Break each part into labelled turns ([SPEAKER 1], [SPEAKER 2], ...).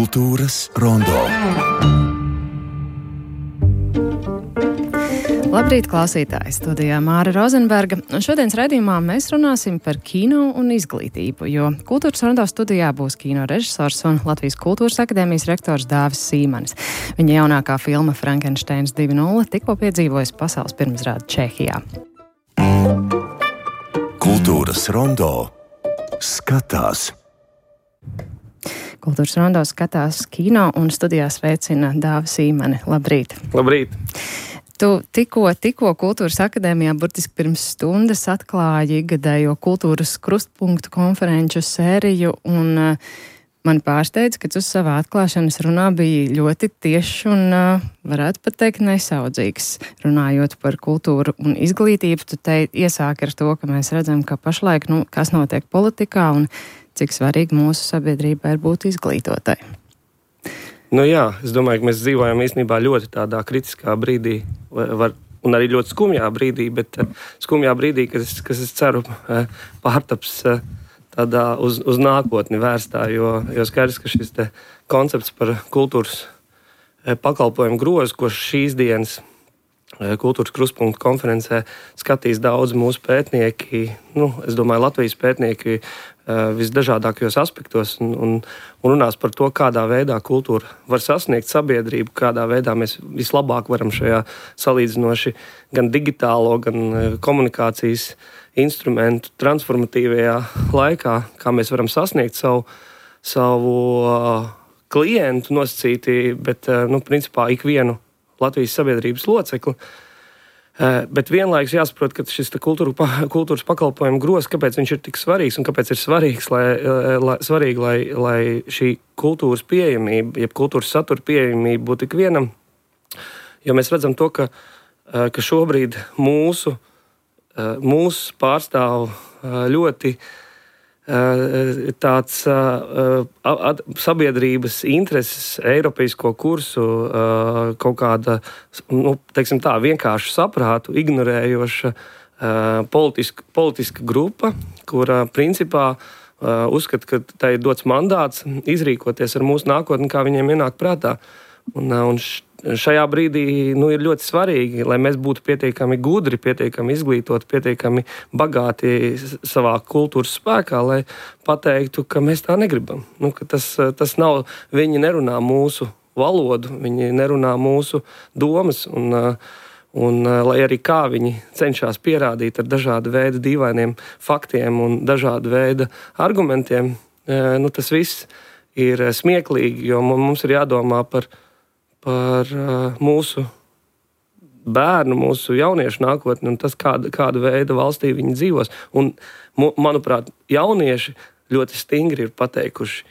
[SPEAKER 1] Kultūras rondo.
[SPEAKER 2] Labrīt, klausītāji! Studijā Māra Rozenberga. Un šodienas raidījumā mēs runāsim par kino un izglītību, jo Kultūras rondo studijā būs kino režisors un Latvijas Kultūras akadēmijas rektors Dāvis Sīmanis. Viņa jaunākā filma Frankensteins 2.0 tikko piedzīvojas pasaules pirmizrādi Čehijā.
[SPEAKER 1] Kultūras rondo skatās.
[SPEAKER 2] Kultūras rondo skatās kino un studijā sveicina Dāvis Sīmani. Labrīt!
[SPEAKER 3] Labrīt!
[SPEAKER 2] Tu tikko Kultūras akadēmijā burtiski pirms stundas atklāji ikgadējo kultūras krustpunktu konferenču sēriju, un mani pārsteidz, ka tu savā atklāšanas runā biji ļoti tiešs un, varētu pat teikt, nesaudzīgs. Runājot par kultūru un izglītību, tu te iesāki ar to, ka mēs redzam, ka pašlaik, kas notiek politikā un cik svarīgi mūsu sabiedrībā ir būt izglītotai.
[SPEAKER 3] Es domāju, ka mēs dzīvojam īstenībā ļoti tādā kritiskā brīdī, un arī ļoti skumjā brīdī, bet skumjā brīdī, kas es ceru pārtaps tādā uz nākotni vērstā, jo skaidrs, ka šis te koncepts par kultūras pakalpojumu grozu, ko šīs dienas Kultūras krustpunktu konferencē skatīs daudz mūsu pētnieki, es domāju, Latvijas pētnieki visdažādākajos aspektos un runās par to, kādā veidā kultūra var sasniegt sabiedrību, kādā veidā mēs vislabāk varam šajā salīdzinoši gan digitālo, gan komunikācijas instrumentu transformatīvajā laikā, kā mēs varam sasniegt savu klientu nosacīti, bet, principā ikvienu Latvijas sabiedrības locekli. Bet vienlaikus jāsaprot, ka šis kultūras pakalpojumu grozs, kāpēc viņš ir tik svarīgs un kāpēc ir svarīgi, lai šī kultūras pieejamība, jeb kultūras satura pieejamība būtu ikvienam. Jo mēs redzam to, ka šobrīd mūsu pārstāv ļoti tāds sabiedrības intereses, eiropeisko kursu, kaut kāda, vienkārši saprātu ignorējoša politiska grupa, kura principā uzskata, ka tai ir dots mandāts izrīkoties ar mūsu nākotni, kā viņiem ienāk prātā. Un šajā brīdī ir ļoti svarīgi, lai mēs būtu pietiekami gudri, pietiekami izglītoti, pietiekami bagāti savā kultūras spēkā, lai pateiktu, ka mēs tā negribam. Ka tas nav, viņi nerunā mūsu valodu, viņi nerunā mūsu domas, un lai arī kā viņi cenšas pierādīt ar dažādu veidu dīvainiem faktiem un dažādu veidu argumentiem, tas viss ir smieklīgi, jo mums ir jādomā par mūsu bērnu, mūsu jauniešu nākotni un tas, kāda veida valstī viņi dzīvos. Un, manuprāt, jaunieši ļoti stingri ir pateikuši,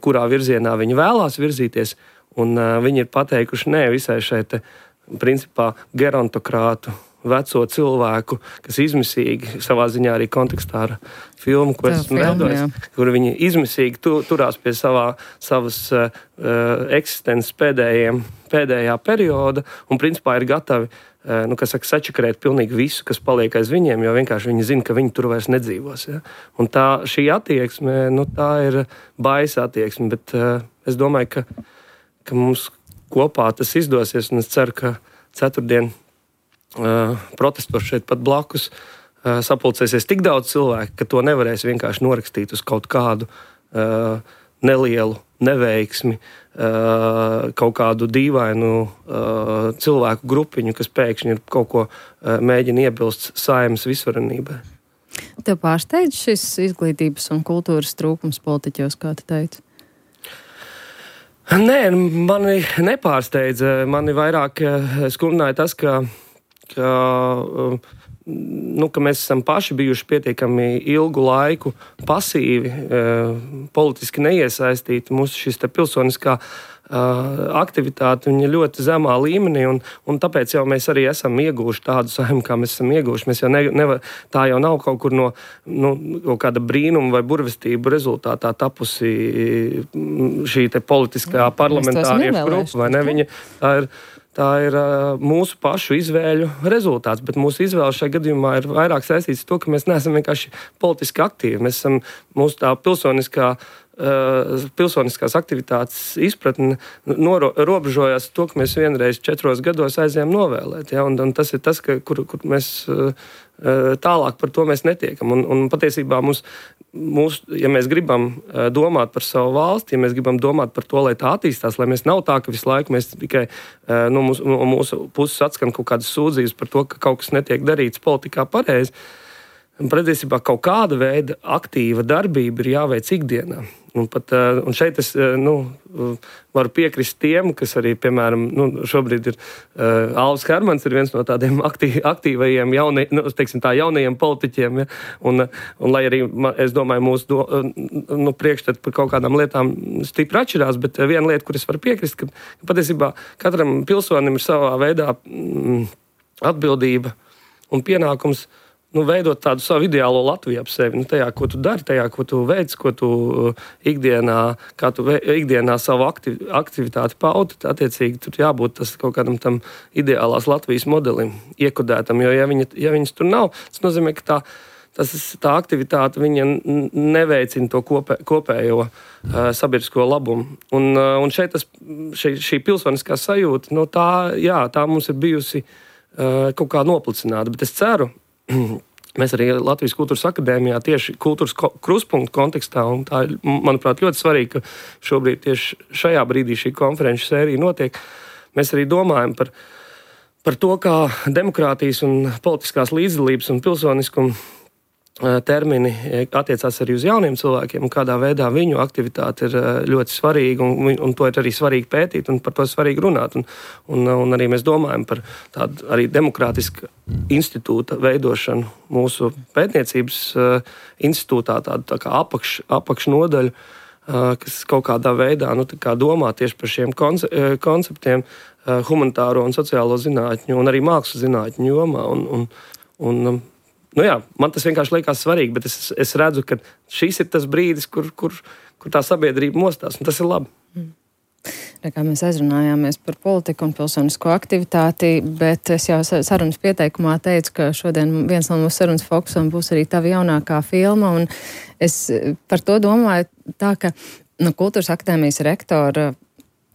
[SPEAKER 3] kurā virzienā viņi vēlās virzīties, un viņi ir pateikuši nē visai šai te, principā, gerontokrātu veco cilvēku, kas izmisīgi savā ziņā arī kontekstā ar filmu, ko esmu veidojis, kur viņi izmisīgi turās pie savas eksistences pēdējā perioda un principā ir gatavi, sačakarēt pilnīgi visu, kas paliek aiz viņiem, jo vienkārši viņi zina, ka viņi tur vairs nedzīvos. Ja? Un šī attieksme, tā ir baisa attieksme, bet es domāju, ka mums kopā tas izdosies, un es ceru, ka ceturtdien protestos šeit pat blakus sapulcēsies tik daudz cilvēku, ka to nevarēs vienkārši norakstīt uz kaut kādu nelielu neveiksmi, kaut kādu dīvainu cilvēku grupiņu, kas pēkšņi ir kaut ko mēģina iebilst Saeimas visvarenībai.
[SPEAKER 2] Tev pārsteidz šis izglītības un kultūras trūkums politiķos, kā tu teici?
[SPEAKER 3] Nē, mani nepārsteidza. Mani vairāk skumdināja tas, ka mēs esam paši bijuši pietiekami ilgu laiku pasīvi, politiski neiesaistīti. Mūsu šis te pilsoniskā aktivitāte viņa ļoti zemā līmenī, un tāpēc jau mēs arī esam ieguvuši tādu Saeimu, kā mēs esam ieguvuši. Mēs jau tā jau nav kaut kur no kaut kāda brīnuma vai burvestību rezultātā tapusi šī te politiskā parlamentāriešu grupa, vai ne? Viņa, tā ir mūsu pašu izvēļu rezultāts, bet mūsu izvēle šajā gadījumā ir vairāk saistīts ar to, ka mēs neesam vienkārši politiski aktīvi. Mēs esam mūsu tā pilsoniskā pilsoniskās aktivitātes izpratne robežojās to, ka mēs vienreiz 4 gados aizējām novēlēt. Ja? Un tas ir tas, kur mēs tālāk par to mēs netiekam. Un patiesībā ja mēs gribam domāt par savu valsti, ja mēs gribam domāt par to, lai tā attīstās, lai mēs nav tā, ka visu laiku mēs tikai no mūsu puses atskan kaut kādas sūdzības par to, ka kaut kas netiek darīts politikā pareizi. Patiesībā kaut kāda veida aktīva darbība ir jāveic ikdienā. Un šeit es varu piekrist tiem, kas arī, piemēram, šobrīd ir Alvis Hermans, ir viens no tādiem aktīvajiem jaunajiem politiķiem. Ja? Un lai arī, es domāju, mūsu priekšstati par kaut kādām lietām stipri atšķirās, bet viena lieta, kur es varu piekrist, ka patiesībā katram pilsonim ir savā veidā atbildība un pienākums veidot tādu savu ideālo Latviju ap sevi. Tajā, ko tu dari, tajā, ko tu veic, ko tu ikdienā savu aktivitāti paudi, attiecīgi tur jābūt tas kaut kādam tam ideālās Latvijas modelim iekodētam, jo ja viņas tur nav, tas nozīmē, ka tā aktivitāte viņa neveicina to kopējo sabiedrisko labumu. Un šeit šī pilsoniskā sajūta, tā mums ir bijusi kaut kā noplicināta, bet es ceru, mēs arī Latvijas Kultūras akadēmijā tieši kultūras krustpunktu kontekstā, un tā ir, manuprāt, ļoti svarīgi, ka šobrīd tieši šajā brīdī šī konferenču sērija notiek. Mēs arī domājam par to, kā demokrātijas un politiskās līdzdalības un pilsoniskuma termini attiecās arī uz jauniem cilvēkiem, un kādā veidā viņu aktivitāte ir ļoti svarīga, un to ir arī svarīgi pētīt, un par to ir svarīgi runāt. Un arī mēs domājam par tādu arī demokrātisku institūta veidošanu mūsu pētniecības institūtā, tādu tā kā apakšnodaļu, kas kaut kādā veidā domā tieši par šiem konceptiem humanitāro un sociālo zinātņu, un arī mākslas zinātņu jomā. Man tas vienkārši liekas svarīgi, bet es redzu, ka šis ir tas brīdis, kur tā sabiedrība mostās, un tas ir labi.
[SPEAKER 2] Kā mēs aizrunājāmies par politiku un pilsonisko aktivitāti, bet es jau sarunas pieteikumā teicu, ka šodien viens no mūsu sarunas fokusam būs arī tava jaunākā filma, un es par to domāju tā, ka Kultūras akadēmijas rektora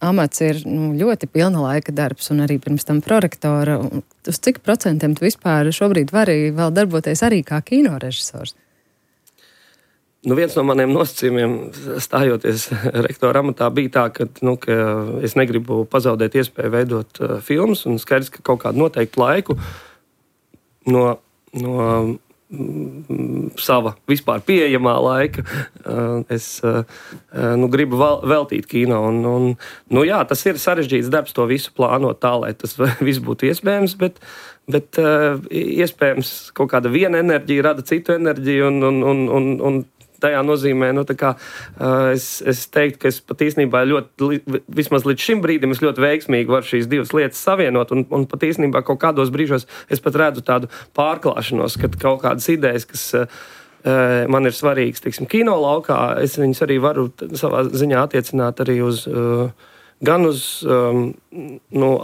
[SPEAKER 2] amats ir ļoti pilna laika darbs, un arī pirms tam prorektora. Uz cik procentiem tu vispār šobrīd vari vēl darboties arī kā kinorežisors?
[SPEAKER 3] Viens no maniem nosacījumiem stājoties rektora amatā bija tā, ka es negribu pazaudēt iespēju veidot filmas, un skaidrs, ka kaut kādu noteiktu laiku no sava vispār pieejamā laika es gribu veltīt kino. Tas ir sarežģīts darbs to visu plānot tā, lai tas viss būtu iespējams, bet iespējams kaut kāda viena enerģija rada citu enerģiju, un tajā nozīmē, es teiktu, ka es pat īstenībā vismaz līdz šim brīdim es ļoti veiksmīgi varu šīs divas lietas savienot, un pat īstenībā kaut kādos brīžos es pat redzu tādu pārklāšanos, kad kaut kādas idejas, kas man ir svarīgas, kino laukā, es viņus arī varu savā ziņā attiecināt arī uz gan uz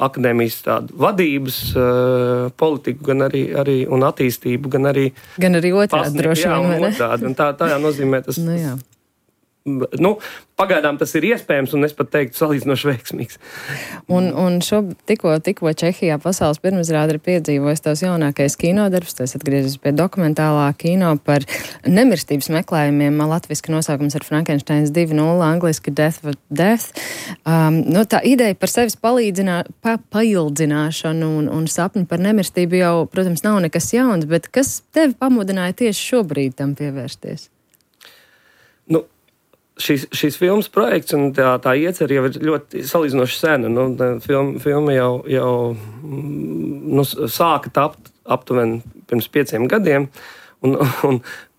[SPEAKER 3] akadēmijas tādu vadības politiku, gan arī un attīstību, gan arī
[SPEAKER 2] otrādi droši vien, vai ne?
[SPEAKER 3] Otrādi, un tā nozīmē tas. Pagaidām tas ir iespējams, un es pat teiktu salīdzinoši veiksmīgs.
[SPEAKER 2] Un tikko Čehijā pasaules pirmizrāde ir piedzīvojis tavs jaunākais kinodarbs, tas atgriezies pie dokumentālā kino par nemirstības meklējumiem. Latviski nosaukums ir Frankensteins 2.0, angliski Death with Death. Tā ideja par sevis paildzināšanu un sapņu par nemirstību jau, protams, nav nekas jauns, bet kas tevi pamudināja tieši šobrīd tam pievērsties?
[SPEAKER 3] Šīs filmas projekts un tā iecer jau ir ļoti salīdzinoši sena. Filma jau sāka tapt aptuveni pirms 5 gadiem.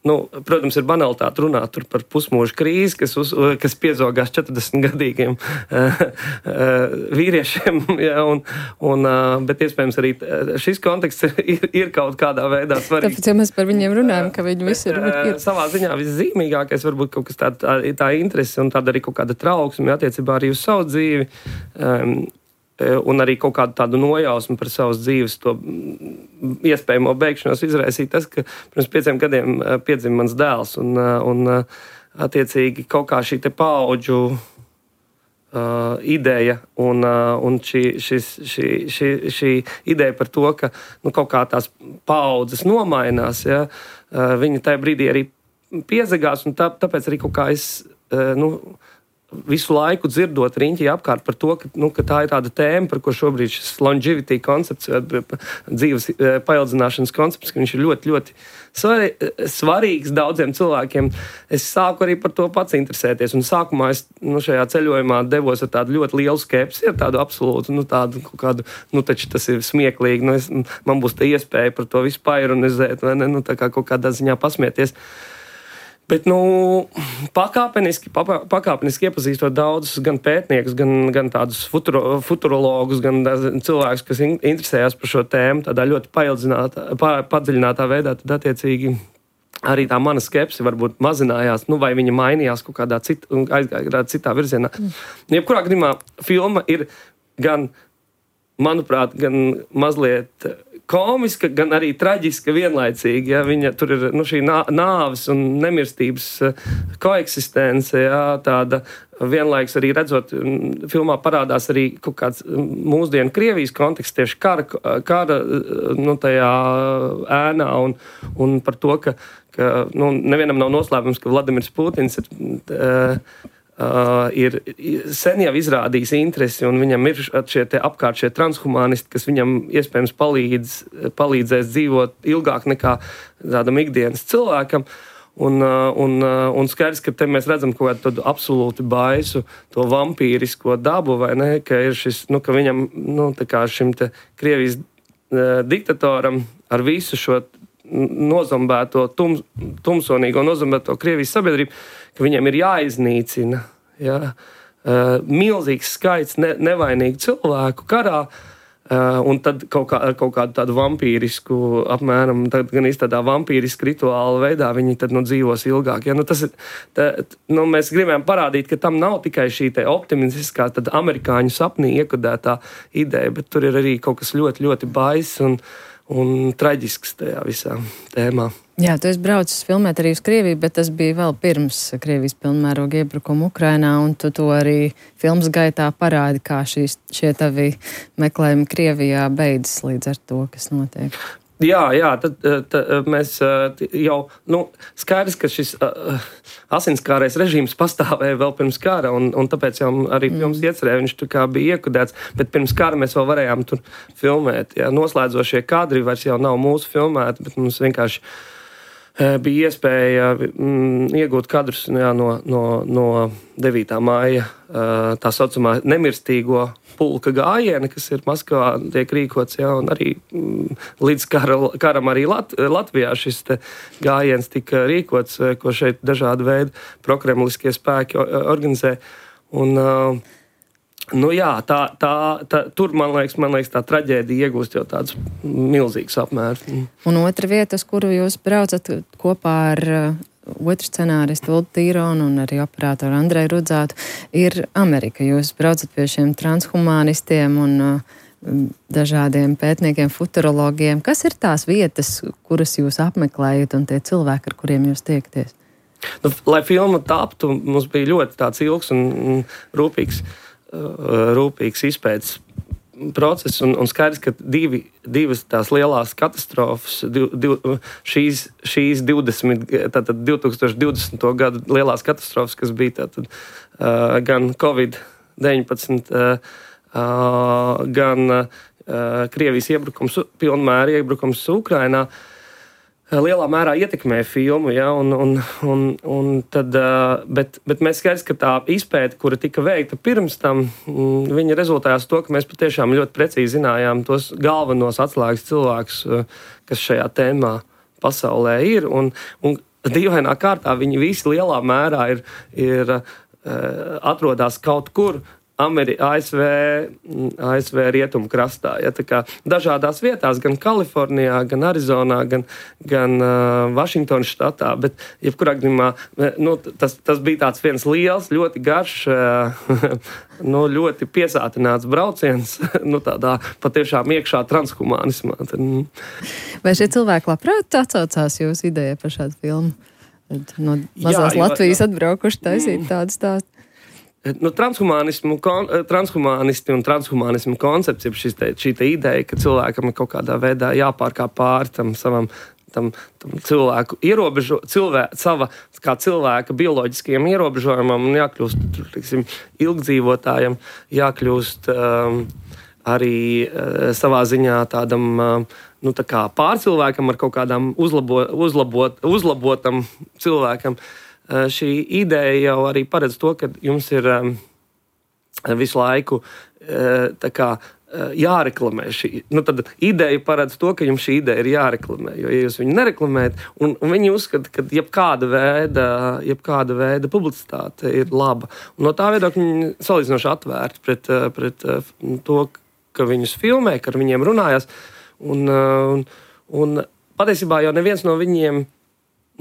[SPEAKER 3] Protams, ir banalitāte runāt par pusmūža krīzi, kas piezogās 40-gadīgiem vīriešiem. Bet iespējams arī šis konteksts ir kaut kādā veidā svarīgs.
[SPEAKER 2] Tāpēc, ja mēs par viņiem runājam, ka viņi visi ir.
[SPEAKER 3] Savā ziņā viszīmīgākais varbūt kaut kas tā interese un tāda arī kaut kāda trauksme attiecībā arī uz savu dzīvi. Un arī kaut kādu tādu nojausmu par savas dzīves to iespējamo beigšanos izraisīja tas, ka pirms 5 gadiem piedzima mans dēls. attiecīgi kaut kā šī te paudžu ideja un šī ideja par to, ka kaut kā tās paudzes nomainās, ja, viņi tajā brīdī arī piezagās, un tāpēc arī kaut kā es visu laiku dzirdot riņķī apkārt par to, ka tā ir tāda tēma, par ko šobrīd šis longevity koncepts, dzīves paildzināšanas koncepts, ka viņš ir ļoti, ļoti svarīgs daudziem cilvēkiem. Es sāku arī par to pats interesēties, un sākumā es šajā ceļojumā devos ar tādu ļoti lielu skepsi, ar tādu absolūtu, tādu kaut kādu, taču tas ir smieklīgi, man būs tā iespēja par to visu paironizēt, vai ne, tā kā kaut kādā ziņā pasmieties. Bet, pakāpeniski iepazīstot daudzus gan pētniekus, gan tādus futurologus, gan cilvēkus, kas interesējās par šo tēmu tādā ļoti padziļinātā veidā, tad attiecīgi arī tā mana skepse varbūt mazinājās, vai viņa mainījās kaut kādā aizgāja citā virzienā. Jebkurā gadījumā filma ir gan, manuprāt, gan mazliet komiska, gan arī traģiska vienlaicīgi. Ja, viņa tur ir šī nāves un nemirstības koeksistence, ja, tāda vienlaiks arī redzot, filmā parādās arī kaut kāds mūsdienu Krievijas konteksts tieši kara tajā ēnā un par to, ka nevienam nav noslēpums, ka Vladimirs Putins ir sen jau izrādījis interesi, un viņam ir apkārt šie transhumanisti, kas viņam iespējams palīdzēs dzīvot ilgāk nekā tādam ikdienas cilvēkam. Un skaidrs, ka te mēs redzam kaut kādu tādu absolūti baisu, to vampīrisko dabu, vai ne, ka ir šis, ka viņam, tā kā šim te Krievijas diktatoram ar visu šo nozombēto, tumsonīgo nozombēto Krievijas sabiedrību, ka viņiem ir jāiznīcina milzīgs skaits nevainīgu cilvēku karā, un tad kaut kādu tādu vampīrisku, apmēram, gan tādā vampīriska rituāla veidā viņi tad dzīvos ilgāk. Ja? Tas ir, mēs gribējām parādīt, ka tam nav tikai šī te optimistiskā amerikāņu sapnī iekodētā ideja, bet tur ir arī kaut kas ļoti, ļoti baiss un traģisks tajā visā tēmā.
[SPEAKER 2] Jā, tu esi braucis filmēt arī uz Krieviju, bet tas bija vēl pirms Krievijas pilnmēroga iebrukuma Ukrainā, un tu to arī filmas gaitā parādi, kā šie tavi meklējumi Krievijā beidzas līdz ar to, kas notiek.
[SPEAKER 3] Jā, tad mēs jau, skaidrs, ka šis asinskārais režīms pastāvēja vēl pirms kara, un tāpēc jau arī filmas iecerēja, viņš tur kā bija iekodēts, bet pirms kara mēs vēl varējām tur filmēt. Jā. Noslēdzošie kadri vairs jau nav mūsu filmēti, bet mums vienkārši bija iespēja iegūt kadrus no 9. māja tā saucamā nemirstīgo pulka gājiena, kas ir Maskavā tiek rīkots, un arī līdz karam arī Latvijā šis gājiens tika rīkots, ko šeit dažādi veidi prokremliskie spēki organizē. Un tur, man liekas, tā traģēdija iegūst jau tādus milzīgus apmērus.
[SPEAKER 2] Un otra vieta, uz kuru jūs braucat kopā ar otru scenāristu Uldu Tīronu un arī operātoru Andreju Rudzātu, ir Amerika. Jūs braucat pie šiem transhumanistiem un dažādiem pētniekiem, futurologiem. Kas ir tās vietas, kuras jūs apmeklējat, un tie cilvēki, ar kuriem jūs tiekties?
[SPEAKER 3] Lai filma taptu, mums bija ļoti tāds ilgs un rūpīgs izpētes process, un skaidrs, ka divas tās lielās katastrofas, šīs 2020. Gadu lielās katastrofas, kas bija tātad gan Covid-19, gan Krievijas pilnmēra iebrukums Ukrainā, lielā mērā ietekmēja filmu, bet mēs skaidrs, ka tā izpēte, kura tika veikta pirms tam, viņa rezultējās to, ka mēs patiešām ļoti precīzi zinājām tos galvenos atslēgas cilvēkus, kas šajā tēmā pasaulē ir, un dīvainā kārtā viņi visi lielā mērā ir atrodas kaut kur ASV rietumu krastā. Ja, tā kā dažādās vietās, gan Kalifornijā, gan Arizonā, gan Vašingtonas štatā, bet jebkurā gadījumā tas bija tāds viens liels, ļoti garš, ļoti piesātināts brauciens, tādā patiešām iekšā transhumanismā.
[SPEAKER 2] Vai šie cilvēki labprāt atsaucās jūsu ideja par šādu filmu Tad no mazās Latvijas atbraukuši taisīt tādu stāstu.
[SPEAKER 3] Transhumānisti un transhumānismu koncepts ir šī ideja, ka cilvēkam ir kaut kādā veidā jāpārkāp pāri tam savam cilvēku sava kā cilvēka bioloģiskajam ierobežojumam un jākļūst, teiksim, ilgdzīvotājam, jākļūst arī savā ziņā tādam tā kā pārcilvēkam ar kaut kādām uzlabotam cilvēkam. Šī ideja jau arī paredz to, ka jums ir visu laiku tā kā jāreklamē šī. Tad ideja paredz to, ka jums šī ideja ir jāreklamē, jo, ja jūs viņu nereklamējat, un viņi uzskata, ka jebkāda veida publicitāte ir laba. Un no tā viedokļa viņi salīdzinoši atvērti pret to, ka viņus filmē, ka ar viņiem runājās. Un patiesībā jau neviens no viņiem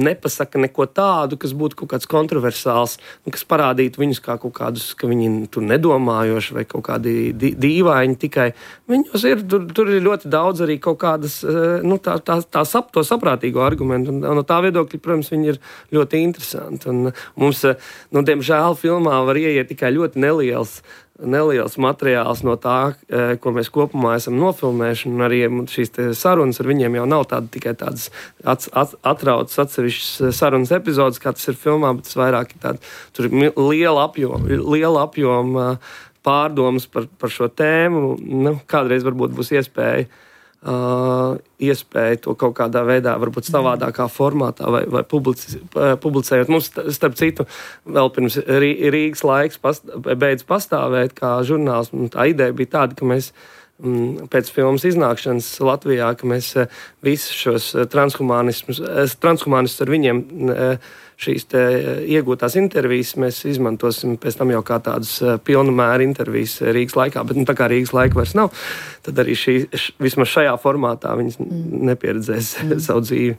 [SPEAKER 3] nepasaka neko tādu, kas būtu kaut kāds kontroversāls, kas parādītu viņus kā kaut kādus, ka viņi tur nedomājoši vai kaut kādi dīvaini tikai. Viņos ir, tur ir ļoti daudz arī kaut kādas, to saprātīgo argumentu. Un no tā viedokļa, protams, viņi ir ļoti interesanti. Un mums, diemžēl, filmā var ieiet tikai ļoti neliels materiāls no tā, ko mēs kopumā esam nofilmējuši, un arī šīs sarunas ar viņiem jau nav tikai tādas atrautas atsevišķas sarunas epizodes, kā tas ir filmā, bet tas vairāk ir tur ir liela apjoma pārdomas par šo tēmu. Kādreiz varbūt būs iespēja to kaut kādā veidā, varbūt savādākā formātā vai publicējot. Mums, starp citu, vēl pirms Rīgas laiks beidz pastāvēt kā žurnāls. Tā ideja bija tāda, ka mēs pēc filmas iznākšanas Latvijā, ka mēs visus šos transhumānistus ar viņiem šīs iegūtās intervijas mēs izmantosim pēc tam jau kā tādas pilna mēra intervijas Rīgas laikā, bet tā kā Rīgas laika vairs nav, tad arī vismaz šajā formātā viņas nepieredzēs savu dzīvi.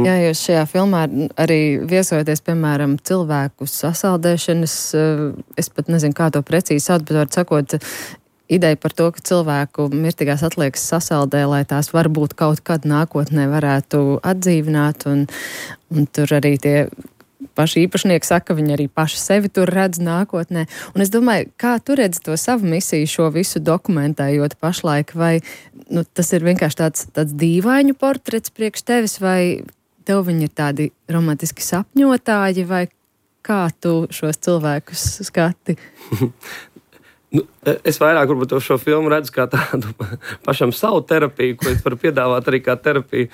[SPEAKER 2] Jā, jūs šajā filmā arī viesojaties, piemēram, cilvēku sasaldēšanas, es pat nezinu, kā to precīzi sauc, bet var sakot, ideja par to, ka cilvēku mirtīgās atliekas sasaldē, lai tās varbūt kaut kad nākotnē varētu atdzīvināt, un tur arī tie paši īpašnieki saka, ka viņi arī paši sevi tur redz nākotnē. Un es domāju, kā tu redzi to savu misiju, šo visu dokumentējot pašlaik, vai tas ir vienkārši tāds dīvainu portrets priekš tevis, vai tev viņi ir tādi romantiski sapņotāji, vai kā tu šos cilvēkus skati?
[SPEAKER 3] Es vairāk varbūt šo filmu redzu kā tādu pašam savu terapiju, ko es varu piedāvāt arī kā terapiju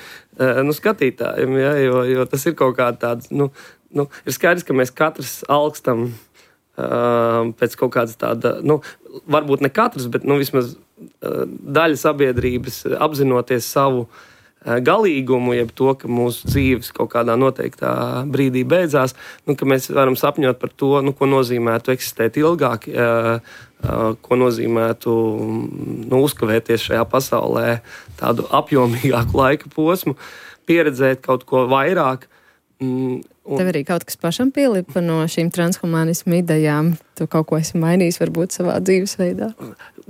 [SPEAKER 3] skatītājiem, ja, jo tas ir kaut kā tāds, ir skaidrs, ka mēs katrs alkstam pēc kaut kādas tāda, varbūt ne katrs, bet vismaz daļa sabiedrības apzinoties savu galīgumu, jeb to, ka mūsu dzīves kaut kādā noteiktā brīdī beidzās, ka mēs varam sapņot par to, ko nozīmētu eksistēt ilgāk, ko nozīmētu uzkavēties šajā pasaulē tādu apjomīgāku laika posmu, pieredzēt kaut ko vairāk.
[SPEAKER 2] Tev arī kaut kas pašam pielipa no šīm transhumānismu idejām? Tu kaut ko esi mainījis varbūt savā dzīvesveidā?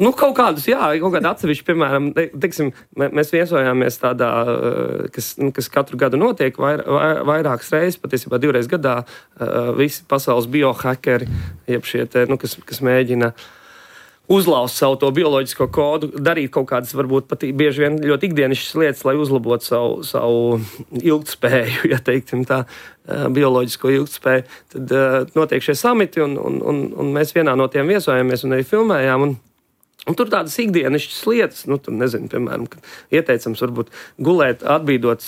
[SPEAKER 3] Kaut kādus, jā, kaut kādi atsevišķi, piemēram, teiksim, mēs viesojāmies tādā, kas katru gadu notiek vairākas reizes, patiesībā 2 reizes gadā, visi pasaules biohakeri, jeb šie kas mēģina uzlauzt savu to bioloģisko kodu, darīt kaut kādas, varbūt pat bieži vien ļoti ikdienišķas lietas, lai uzlabotu savu ilgtspēju, ja teiksim tā, bioloģisko ilgtspēju. Tad notiek šie samiti, un mēs vienā no tiem viesojāmies un arī filmējām, un tur tādas ikdienišķas lietas, tur nezinu, piemēram, ka ieteicams varbūt gulēt, atbīdot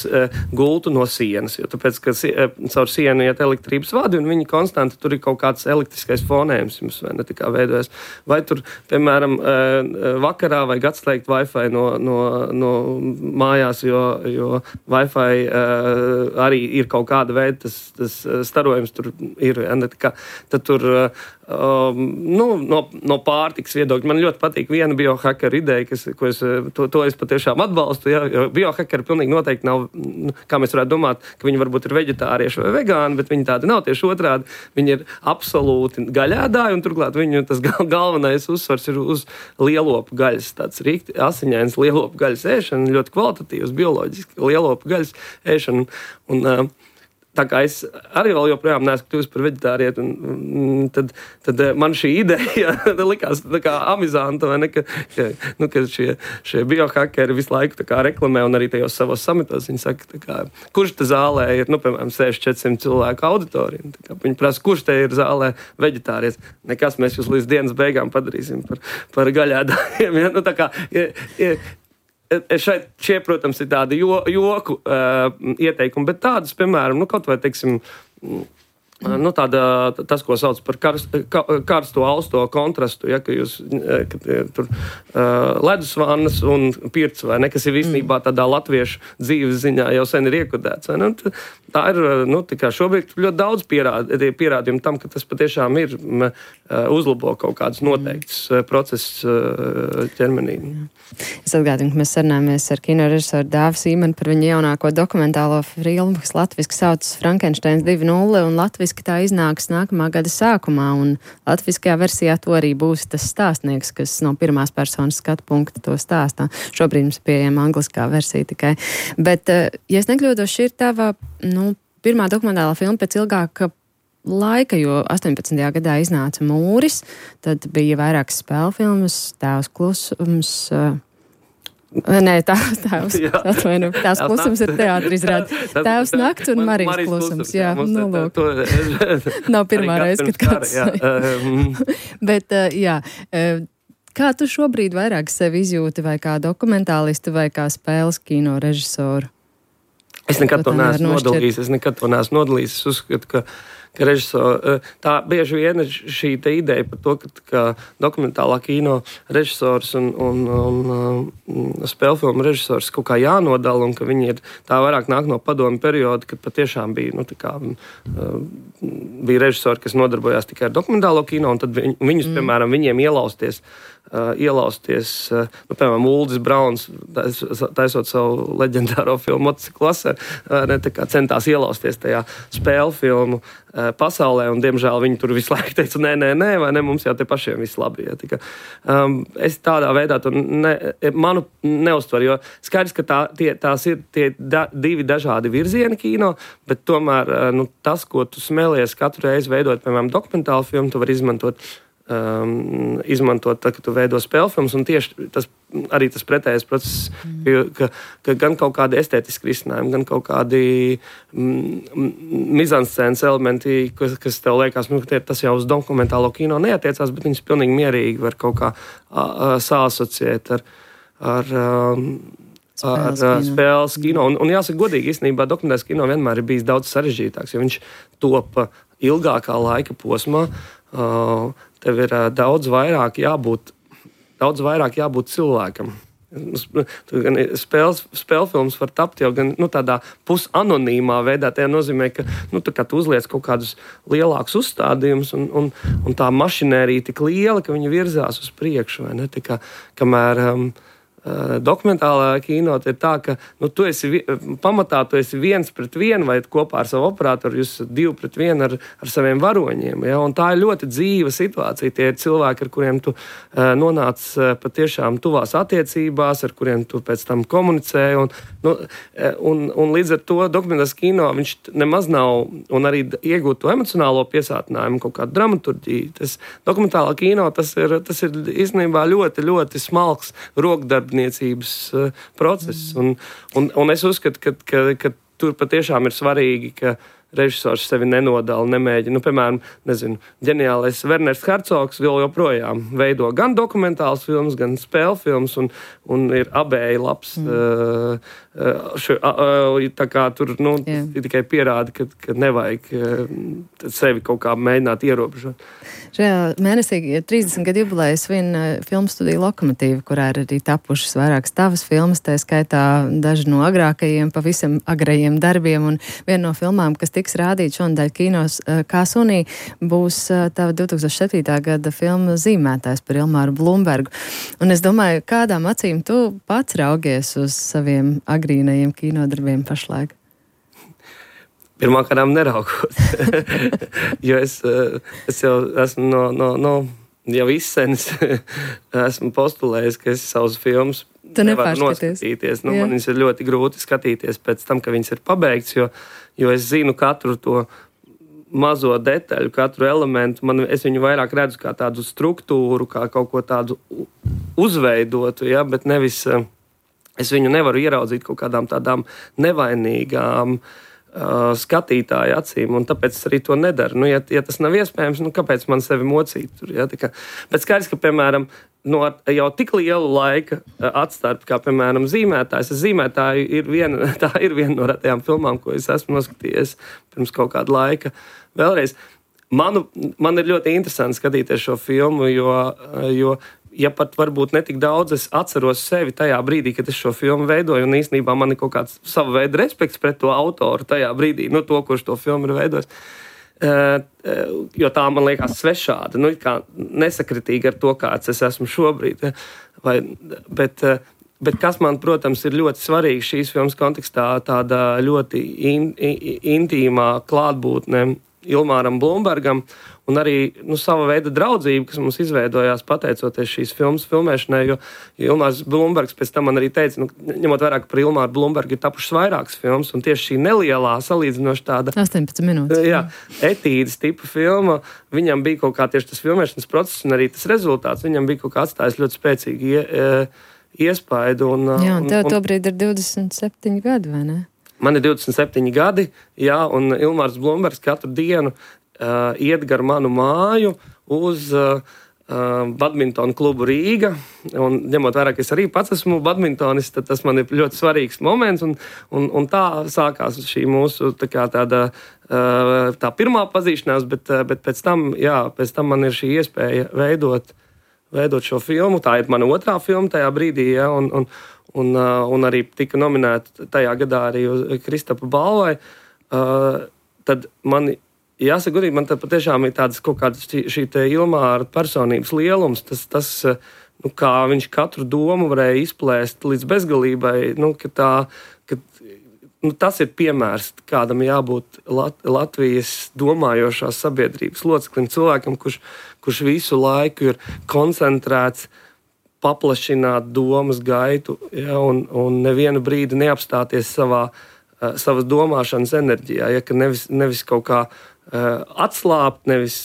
[SPEAKER 3] gultu no sienas, jo tāpēc, ka caur sienu iet elektrības vadi, un viņi konstanti tur ir kaut kāds elektriskais fonējums jums, vai ne, tā kā veidojas. Vai tur, piemēram, vakarā vai atslēgt Wi-Fi no mājās, jo Wi-Fi arī ir kaut kāda veida, tas starojums tur ir, ja ne, tā kā, tad tur no pārtikas viedokļa. Man ļoti patīk viena biohakeru ideja, to es patiešām atbalstu, ja, jo biohakeri pilnīgi noteikti nav, kā mēs varētu domāt, ka viņi varbūt ir veģetārieši vai vegāni, bet viņi tādi nav, tieši otrādi. Viņi ir absolūti gaļēdāji, un turklāt viņu tas galvenais uzsvars ir uz lielopu gaļas, tāds rīkti asiņains lielopu gaļas ēšana, ļoti kvalitatīvs, bioloģiski lielopu gaļas ēšana. tā kā es arī vēl joprojām neesmu kļuvis par veģetārieti, tad man šī ideja likās tā kā amizanta, vai ne, ka šie biohakeri visu laiku tā kā reklamē un arī tajos savos samitos viņi saka, tā kā, kurš te zālē ir, piemēram, 600-400 cilvēku auditorija. Viņi prasa, kurš te ir zālē veģetārietis. Nekas, mēs jūs līdz dienas beigām padarīsim par gaļēdājiem. Ja? Tā kā šie, protams, ir tādi joku ieteikumi, bet tādas, piemēram, kaut vai, teiksim, tas, ko sauc par karsto austo kontrastu, ja, ka jūs tur ledusvannas un pirts, vai ne, kas ir īstenībā tādā latviešu dzīves ziņā jau sen ir iekodēts. Tā ir, tikai šobrīd ļoti daudz pierādījumu tam, ka tas patiešām ir uzlabo kaut kādus noteiktus procesus ķermenī.
[SPEAKER 2] Es atgādinu, ka mēs sarunājamies ar kinorežisoru Dāvu Sīmanu par viņa jaunāko dokumentālo filmu, kas latviski saucas Frankensteins 2.0 un latviski tā iznāks nākamā gada sākumā, un latviskajā versijā to arī būs tas stāstnieks, kas no pirmās personas skatu punkta to stāstā. Šobrīd mums pieejama angliskā versija tikai. Bet, ja es nekļūdos, šī ir tava, pirmā dokumentālā filma pēc ilgāka laika, jo 18. gadā iznāca Mūris, tad bija vairākas spēļu filmas, Tēvs klusums, Tēvs klusums ir teātris izrāde, Tēvs nakts un Marijas klusums, jā, lūk. Nav pirmā reize, kad kāds. Bet, jā, kā tu šobrīd vairāk sevi izjūti, vai kā dokumentālistu, vai kā spēles kino režisoru?
[SPEAKER 3] Es nekad to neesmu nodalījis. Es uzskatu, ka režisori, tā bieži vien ir šī ideja par to, ka dokumentālā kino režisors un spēļu filmu režisors kaut kā jānodala, un ka viņi ir tā vairāk nāk no padomju perioda, kad patiešām bija, bija režisori, kas nodarbojās tikai ar dokumentālo kino, un tad viņus, piemēram, viņiem ielausties, piemēram, Uldis Brauns, taisot savu leģendāro filmu Motociklu vasara, centās ielausties tajā spēļu filmu pasaulē, un, diemžēl, viņi tur visu laiku teica, nē, vai ne, mums jau te pašiem viss labi. Ja, es tādā veidā to manu neuztveru, jo skaidrs, ka tās ir tie divi dažādi virzieni kino, bet tomēr tas, ko tu smēlies katru reizi veidot, piemēram, dokumentālu filmu, tu vari izmantot tad, kad tu veido spēļu filmas, un tieši arī tas pretējais process, ka gan kaut kādi estētiski risinājumi, gan kaut kādi mizanscēnas elementi, kas tev liekas, tas jau uz dokumentālo kino neatiecās, bet viņus pilnīgi mierīgi var kaut kā sāsociēt ar spēles kino. Un jāsaka godīgi, īstenībā dokumentālais kino vienmēr ir bijis daudz sarežģītāks, jo viņš topa ilgākā laika posmā. Tev ir daudz vairāk jābūt cilvēkam. Spēļu filmas var tapt jau gan tādā pusanonīmā veidā. Tā nozīmē, ka tu uzliec kaut kādus lielākus uzstādījumus, un tā mašinērija tik liela, ka viņi virzās uz priekšu. Vai ne? Tā kā, kamēr dokumentālā kino ir tā, ka tu esi pamatā, tu esi 1-1 vai kopā ar savu operatoru, jūs 2-1 ar saviem varoņiem. Ja? Un tā ir ļoti dzīva situācija. Tie ir cilvēki, ar kuriem tu nonāc patiešām tuvās attiecībās, ar kuriem tu pēc tam komunicē. Un līdz ar to dokumentālais kino viņš nemaz nav, un arī iegūt to emocionālo piesātinājumu, kaut kādu dramaturģiju. Tas dokumentālā kino, tas ir īstenībā ļoti, ļoti smalks rokdarbs process. Un es uzskatu, ka tur patiešām ir svarīgi, ka režisors sevi nenodala, nemēģina. Piemēram, ģeniālais Werners Hercogs vēl joprojām veido gan dokumentālas filmas, gan spēļu filmas, un ir abēji labs. Tā kā tur tikai pierāda, ka nevajag sevi kaut kā mēģināt ierobežot.
[SPEAKER 2] Šajā mēnesī 30 gadu jubileju svin filmu studija Lokomotīva, kurā ir arī tapušas vairākas tavas filmas, tā skaitā daži no agrākajiem, pavisam agrajiem darbiem, un viena no filmām, kas tiks rādīt šonadēļ kinos kā sunī, būs tava 2007. Gada filma Zīmētājs par Ilmāru Blumbergu. Un es domāju, kādām acīm tu pats raugies uz saviem agrīnajiem kinodarbiem pašlaik?
[SPEAKER 3] Pirmkārt neraugos, jo es jau esmu jau izsenis esmu postulējis, ka es savus filmas nevaru noskatīties. Man viņas ir ļoti grūti skatīties pēc tam, ka viņas ir pabeigts, jo es zinu katru to mazo detaļu, katru elementu. Es viņu vairāk redzu kā tādu struktūru, kā kaut ko tādu uzveidotu, ja, bet nevis es viņu nevaru ieraudzīt kaut kādām tādām nevainīgām skatītāju acīm, un tāpēc es arī to nedaru. Ja tas nav iespējams, kāpēc man sevi mocīt tur? Ja? Bet skaidrs, ka, piemēram, no jau tik lielu laika atstarpi, kā, piemēram, zīmētājs. Zīmētāji ir viena no retajām filmām, ko es esmu noskatījies pirms kaut kāda laika. Vēlreiz, man ir ļoti interesanti skatīties šo filmu, jo ja pat varbūt netik daudz es atceros sevi tajā brīdī, kad es šo filmu veidoju, un īstenībā man ir kaut kāds sava veida respekts pret to autoru tajā brīdī, to, kurš to filmu ir veidojis. Jo tā man liekas svešāda, kā nesakritīga ar to, kāds es esmu šobrīd. Bet kas man, protams, ir ļoti svarīgi šīs filmas kontekstā, tāda ļoti intīmā klātbūtne Ilmāram Blumbergam, un arī sava veida draudzība, kas mums izveidojās pateicoties šīs filmas filmēšanai, jo Ilmārs Blumbergs pēc tam man arī teica, ņemot vērā, ka par Ilmāru Blumbergu ir tapušas vairākas filmas, un tieši šī nelielā, salīdzinoši tāda
[SPEAKER 2] 18 minūtes.
[SPEAKER 3] Jā, etīdes tipa filma, viņam bija kaut kā tieši tas filmēšanas process, un arī tas rezultāts, viņam bija kaut kā atstājis ļoti spēcīgi iespaidu.
[SPEAKER 2] Jā, un tev tobrīd ir 27 gadi, vai ne?
[SPEAKER 3] Man ir 27 gadi, jā, un Ilmārs Blumbergs katru dienu iet gar manu māju uz badmintonu klubu Rīga. Un, ņemot vērā, ka es arī pats esmu badmintonists, tad tas man ir ļoti svarīgs moments. Un tā sākās šī mūsu tā pirmā pazīšanās, bet pēc tam man ir šī iespēja veidot šo filmu. Tā ir mana otrā filma tajā brīdī, ja, un arī tika nominēta tajā gadā arī uz Kristapa balvai. Tad man jāsaka godīgi, man patiešām ir tāds kaut kāds šī te Ilmāra personības lielums, tas kā viņš katru domu varēja izplēst līdz bezgalībai, tas ir piemērs, kādam jābūt Latvijas domājošās sabiedrības loceklim, cilvēkam, kurš visu laiku ir koncentrēts paplašināt domas gaitu, ja, un nevienu brīdi neapstāties savas domāšanas enerģijā, ja, ka nevis kaut kā atslābt, nevis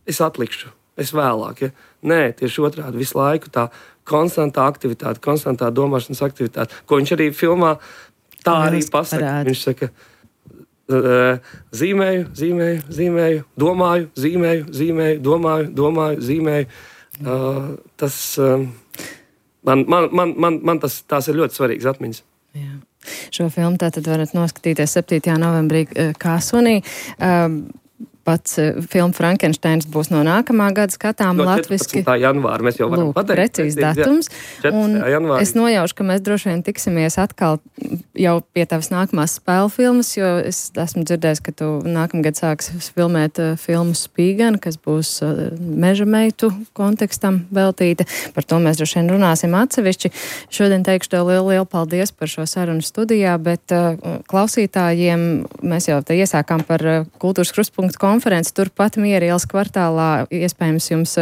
[SPEAKER 3] es atlikšu, es vēlāk. Ja. Nē, tieši otrādi visu laiku tā konstantā aktivitāte, konstantā domāšanas aktivitāte, ko viņš arī filmā tā arī pasaka. Viņš saka, zīmēju, domāju, zīmēju, domāju, zīmēju. Tas man tās ir ļoti svarīgas atmiņas.
[SPEAKER 2] Jā. Šo filmu tātad varat noskatīties 7. novembrī Kāsunī. Pats filma Frankensteins būs no nākamā gada skatām latviski.
[SPEAKER 3] 14. janvāra mēs jau varam pateikt.
[SPEAKER 2] Precīzi datums. Un es nojaušu, ka mēs droši vien tiksimies atkal jau pie tavas nākamās spēļu filmas, jo es esmu dzirdējis, ka tu nākamgad sāks filmēt filmu Spīgana, kas būs meža meitu kontekstam veltīta. Par to mēs droši vien runāsim atsevišķi. Šodien teikšu tev lielu paldies par šo sarunu studijā, bet klausītājiem mēs jau te iesākām par Kultūras Krustpunktu konferenci turpat Miera ielas kvartālā. Iespējams, jums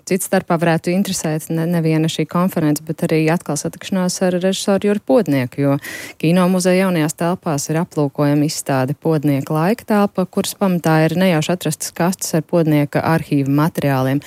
[SPEAKER 2] cits starpā varētu interesēt neviena šī konference, bet arī atkal satikšanās ar režisoru Juri Podnieku, jo Kino muzeja jaunajās telpās ir aplūkojama izstāde Podnieka laika telpa, kuras pamatā ir nejauši atrastas kastes ar Podnieka arhīva materiāliem.